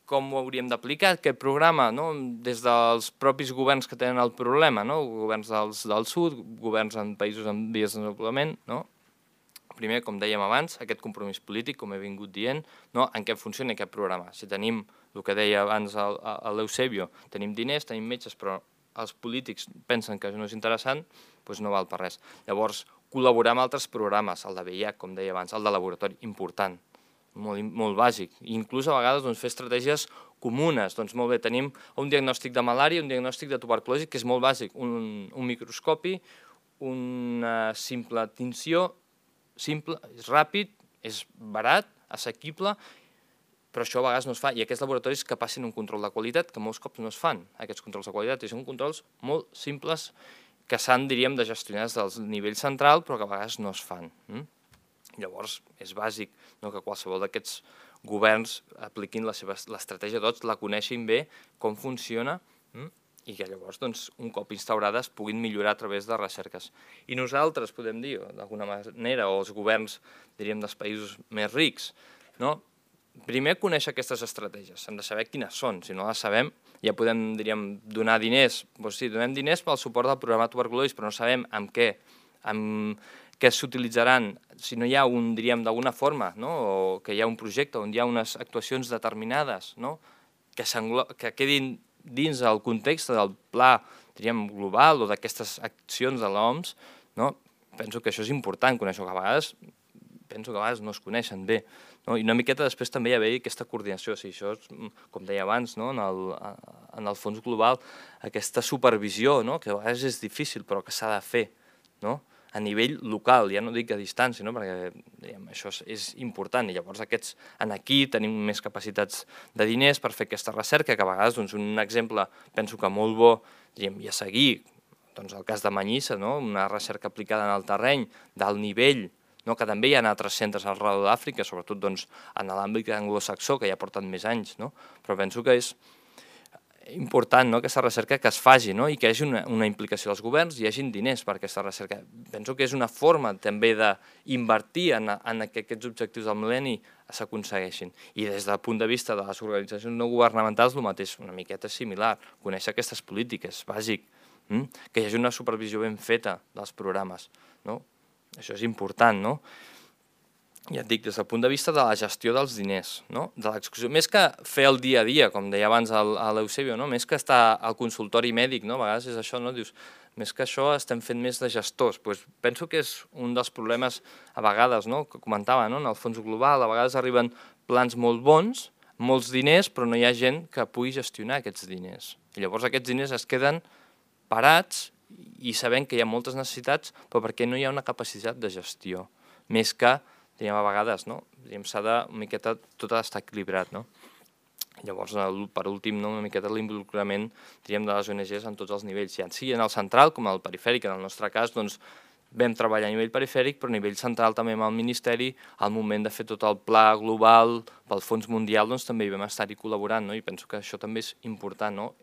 com ho hauríem d'aplicar, aquest programa, des dels propis governs que tenen el problema, governs del sud, governs en països en vies de desenvolupament. Primer, com dèiem abans, aquest compromís polític, com he vingut dient, en què funciona aquest programa. Si tenim, el que deia abans l'Eusebio, tenim diners, tenim metges, però els polítics pensen que no és interessant, doncs no val per res. Llavors, col·laborar amb altres programes, el de VIH, com deia abans, el de laboratori, important, molt bàsic. Inclús a vegades fer estratègies comunes. Doncs molt bé, tenim un diagnòstic de malària, un diagnòstic de tuberculosi, que és molt bàsic, un microscopi, una simple tinció, simple, és ràpid, és barat, assequible, però això a vegades no es fa, i aquests laboratoris que passin un control de qualitat, que molts cops no es fan, aquests controls de qualitat, i són controls molt simples que s'han, diríem, de gestionar des del nivell central, però que a vegades no es fan. Llavors, és bàsic que qualsevol d'aquests governs apliquin l'estratègia tots, la coneixin bé, com funciona, i que llavors, un cop instaurades, puguin millorar a través de recerques. I nosaltres, podem dir, d'alguna manera, o els governs, diríem, dels països més rics, primer conèixer aquestes estratègies, hem de saber quines són, si no les sabem ja podem, diríem, donar diners, doncs sí, donem diners pel suport del programa tuberculosi, però no sabem amb què s'utilitzaran, si no hi ha diríem, d'alguna forma, o que hi ha un projecte on hi ha unes actuacions determinades que quedin dins el context del pla, diríem, global o d'aquestes accions de l'OMS, penso que això és important conèixer, que a vegades no es coneixen bé. I una miqueta després també hi ha aquesta coordinació, si això, com deia abans, en el fons global, aquesta supervisió, que a vegades és difícil però que s'ha de fer, a nivell local, ja no dic a distància, perquè això és important, i llavors aquí tenim més capacitats de diners per fer aquesta recerca, que a vegades un exemple, penso que molt bo, i a seguir, el cas de Manyissa, una recerca aplicada en el terreny d'alt nivell, que també hi ha altres centres arreu d'Àfrica, sobretot en l'àmbit anglosaxó, que ja porten més anys, però penso que és important aquesta recerca que es faci i que hi hagi una implicació dels governs i hi hagi diners per aquesta recerca. Penso que és una forma també d'invertir en que aquests objectius del mil·lenni s'aconsegueixin. I des del punt de vista de les organitzacions no governamentals, el mateix, una miqueta similar, conèixer aquestes polítiques, bàsic, que hi hagi una supervisió ben feta dels programes. Això és important, ja et dic, des del punt de vista de la gestió dels diners, de l'execució, més que fer el dia a dia, com deia abans l'Eusebio, més que estar al consultori mèdic, a vegades és això, dius, més que això estem fent més de gestors. Penso que és un dels problemes a vegades, que comentava, en el fons global, a vegades arriben plans molt bons, molts diners, però no hi ha gent que pugui gestionar aquests diners. I llavors aquests diners es queden parats i sabent que hi ha moltes necessitats, però perquè no hi ha una capacitat de gestió, més que a vegades s'ha de una miqueta tot estar equilibrat. Llavors, per últim, una miqueta l'involucrament de les ONGs en tots els nivells, ja sigui en el central com al perifèric. En el nostre cas vam treballar a nivell perifèric, però a nivell central també amb el Ministeri, al moment de fer tot el pla global pel Fons Mundial també hi vam estar-hi col·laborant, i penso que això també és important.